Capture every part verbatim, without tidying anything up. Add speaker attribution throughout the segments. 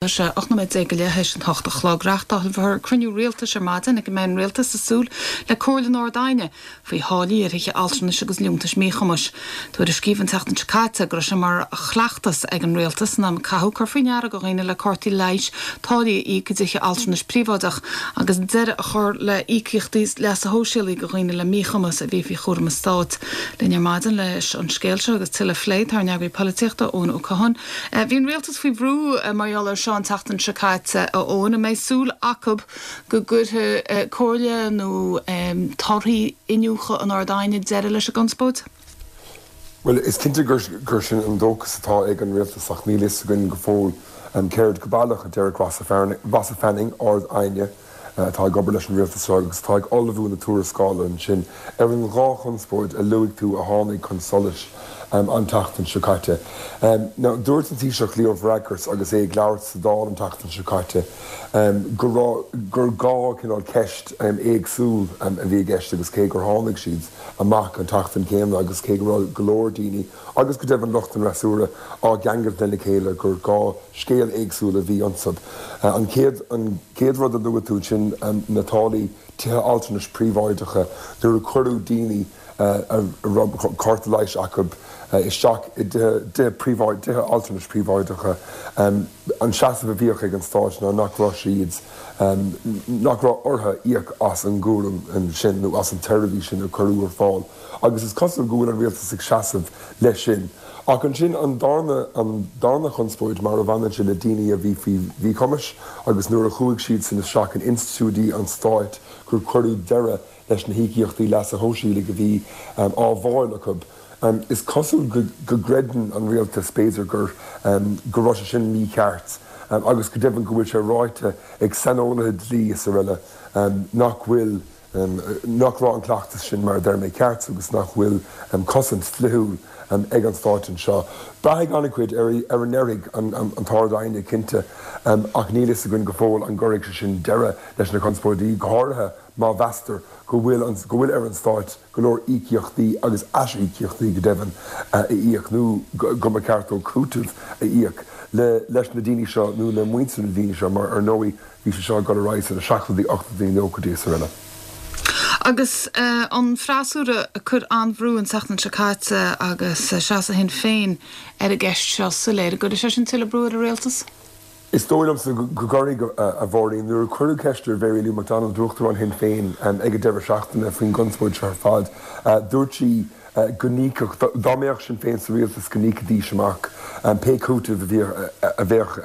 Speaker 1: Tá sé ocht nóiméad déag go leith théis an hocht a chlog. Reáchtálfar cruinniú rialtais ar maidin ag a mbeidh an rialtas ag súil le comhairle an Ard-Aighne faoi tháillí ar thithe altranais agus liúntais míchumais. Tuairiscíodh an tseachtain seo caite go raibh sé mar chleachtas ag an rialtas san am a caitheadh cur faoi ndeara do dhaoine le cártaí leighis táillí a íoc i dtithe altranais príobháideach agus deireadh a chur le híocaíochtaí leasa shóisialaigh do dhaoine le míchumas a bhí faoi chúram an stáit. Linn ar maidin leis an scéal seo agus tuilleadh a phlé tá ár n-eagraí polaitíochta Eoin Ó Catháin. Bhí an rialtas faoi bhrú mar gheall air seo an tseachtain seo caite a Eoin, an mbeidh súil acu go gcuirfidh comhairle nó torthaí iniúchadh an Ard-Aighne deireadh leis an gconspóid?
Speaker 2: Bhuel, is cinnte gur gur sin an dóchas atá ag an rialtas ach níl fhios againn go fóill céard go baileach a déarfaidh Rossa Fanning, Ard-Aighne atá ag obair leis an rialtas seo agus atá ag ullmhú na tuarascála ansin ar an dhá chonspóid a luaigh tú a tháinig chun solais an tseachtain seo caite. Now, dúirt an Taoiseach Leo Varadkar agus é ag labhairt sa Dáil an tseachtain seo caite go raibh gur dhá cineál ceist éagsúil a bhí i gceist agus cé gur tháinig siad amach an tseachtain céanna agus cé go raibh go leor daoine agus go deimhin lucht an fhreasúra á gceangailt lena chéile gur dhá scéal éagsúil a bhí iontu. An chéad an chéad rud a luaigh tú sin na táillí tithe altranais príobháideacha nuair a cuireadh daoine a raibh cárta leighis acu isteach i dtithe príobháid tithe altranais príobháideacha an seasamh a bhíodh ag an stát ná nach raibh siad nach raibh orthu íoc as an gcúram sin nó as an tseirbhís sin a cuireadh ar fáil agus is cosúil go bhfuil an rialtas ag seasamh leis sin. Ach ansin an darna an darna chonspóid mar a bhaineann sé le daoine a bhí faoi mhíchumais agus nuair a chuaigh siad san isteach in institiúidí an stáit gur cuireadh deireadh leis na híocaíochtaí leasa shóisialaigh a bhí á bhfáil acu. Is cosúil go gcreideann an rialtas b'fhéidir gur go raibh sé sin mícheart agus go deimhin go bhfuil sé ráite ag saineolaithe dlí is araile nach bhfuil nach raibh an cleachtas sin mar a deir mé ceart agus nach bhfuil cosaint dlíthiúil ag an stát anseo. Braithfidh an-chuid ar ar a ndéarfaidh an tArd-Aighne cinnte ach níl fhios againn go fóill an gcuirfidh sé sin deireadh leis na conspóidí, go háirithe má mheastar go bhfuil go bhfuil ar an stát go leor íocaíochtaí agus aisíocaíochtaí go deimhin a íoc nó go mba cheart dó cúiteamh a íoc le leis na daoine seo nó le muintir na daoine seo mar ar ndóigh bhí sé seo ag dul ar aghaidh sna seachtóidí ochtóidí nóchaidí is araile.
Speaker 1: Agus an freasúra ag cur an-bhrú an tseachtain seo caite agus seasamh Shinn Féin ar an gceist seo soiléir, an gcuirfidh sé sin tuilleadh brú ar an rialtas?
Speaker 2: Is dóigh liomsa go gcuirfidh, a Mháirín. Nuair a cuireadh ceist ar Mhary Lou McDonald, Uachtarán Shinn Féin, ag an deireadh seachtaine faoin gconspóid seo ar fad, dúirt sí go n-íocfadh, dá mbeadh Sinn Féin sa rialtas, go n-íocfaidís amach pé cúiteamh a bheadh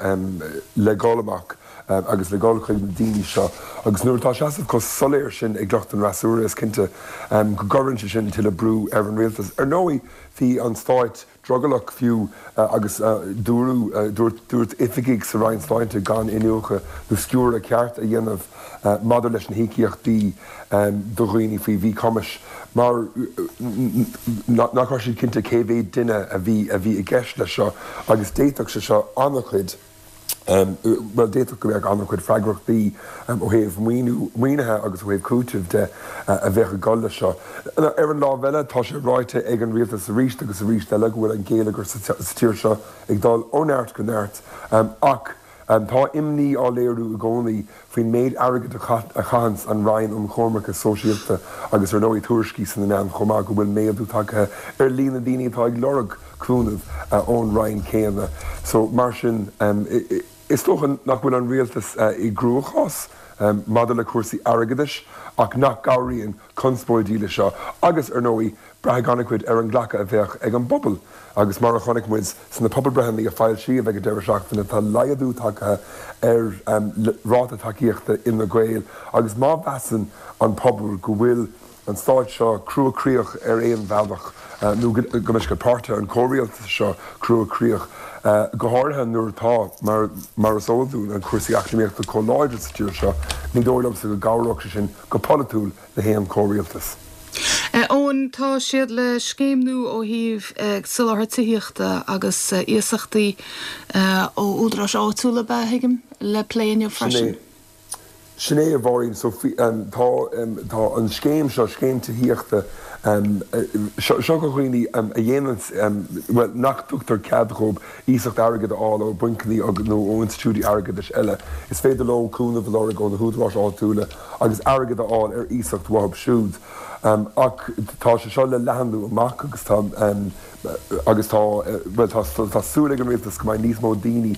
Speaker 2: le dhul amach agus le dhul chuig na daoine seo. Agus nuair atá seasamh chomh soiléir sin ag lucht an fhreasúra, is cinnte go gcuireann sé sin tuilleadh brú ar an rialtas. Ar ndóigh, bhí an stát drogallach fiú agus dúradh, dúirt, dúirt oifigigh sa Roinn Sláinte gan iniúchadh nó sciúradh ceart a dhéanamh maidir leis na híocaíochtaí do dhaoine faoi mhíchumais mar nach raibh siad cinnte cé mhéad duine a bhí a bhí i gceist leis seo agus d'fhéadfadh sé seo an-chuid bhuel, d'fhéadfadh go mbeadh an-chuid freagrachtaí ó thaobh maoiniú, maoinithe agus ó thaobh cúitimh de a bheadh ag dul leis seo. Ar an lámh eile, tá sé ráite ag an rialtas arís agus arís eile go bhfuil an geilleagar sa tír seo ag dul ó neart go neart ach tá imní á léiriú i gcónaí faoin méid airgid a chaitheanns an Roinn um Choimirce Sóisialta agus ar ndóigh tuairiscí sna meáin chomh maith go bhfuil méadú tagtha ar líon na ndaoine atá ag lorg cúnamh ón Roinn céanna. So, mar sin, is dócha nach bhfuil an rialtas i gcruachás maidir le cúrsaí airgeadais ach nach gcabhraíonn conspóidí leis seo agus, ar ndóigh, braithfidh an-chuid ar an nglacadh a bheadh ag an bpobal agus mar a chonaic muid sna pobalbreitheanna a foilsíodh ag an deireadh seachtaine tá laghdú tagtha ar ráta tacaíochta Fhine Gael agus má mheasann an pobal go bhfuil an stát seo cruachroíoch ar aon bhealach, nó go mbeidh páirtithe an chomhrialtais seo cruachroíoch, go háirithe nuair atá, mar is eol dúinn, an cúrsaí eacnamaíochta chomh láidir sa tír seo, ní dóigh liomsa go gcabhródh sé sin go polaitiúil le haon chomhrialtas.
Speaker 1: Eoin, tá siad le scéim nua ó thaobh soláthar tithíochta agus iasachtaí ó údaráis áitiúla, ab ea, a thuigim, le plé inniu
Speaker 2: freisin. Sin é. Sin é a Mháirín so tá tá an scéim seo scéim tithíochta seo do dhaoine a dhéanann well nach dtugtar cead dóibh iasacht airgid a fháil ó bhancanna nó ó institiúidí airgeadais eile. Is féidir leo cúnamh a lorg ó na húdaráis áitiúla agus airgead a fháil ar iasacht uathu siúd. Ach tá sé seo le leathnú amach agus tá agus tá well tá súil ag an rialtas go mbeidh níos mó daoine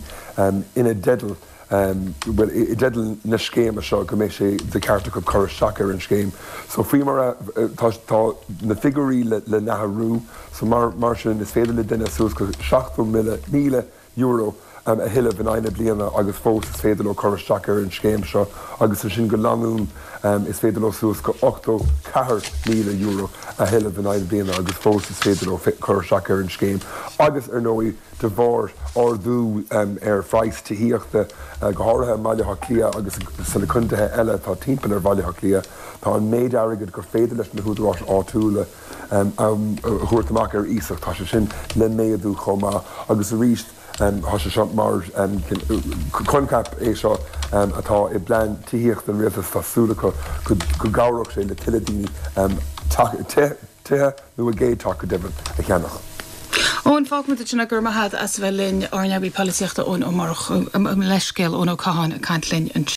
Speaker 2: ina dteideal bhuel i dteideal na scéime seo go mbeidh sé de cheart acu cur isteach ar an scéim. So faoi mar tá tá na figiúirí le le n-athrú so mar mar sin is féidir le duine suas go seachtó míle míle euro a thuilleamh in aghaidh na bliana agus fós is féidir leo cur isteach ar an scéim seo agus sin go leanúnach is féidir leo suas go ochtó ceathair míle euro a thuilleamh in aghaidh na bliana agus fós is féidir leo cur isteach ar an scéim agus ar ndóigh de bharr ardú ar phraghas tithíochta go háirithe i mBaile Átha Cliath agus sna contaetha eile atá timpeall ar Bhaile Átha Cliath, tá an méid airgid gur féidir leis na húdaráis áitiúla a thabhairt amach ar iasacht, tá sé sin le méadú chomh maith agus arís tá sé seo mar coincheap é seo atá i bplean tithíochta an rialtais tá súil acu go gcabhródh sé le tuilleadh daoine tithe nó a gcéad teach go deimhin a cheannach.
Speaker 1: Eoin fágfaimid ansin é go raibh maith agat as a bheith linn ár n-eagraí polaitíochta Eoin Ó Murchú leithscéal Eoin Ó Catháin ag caint linn anseo.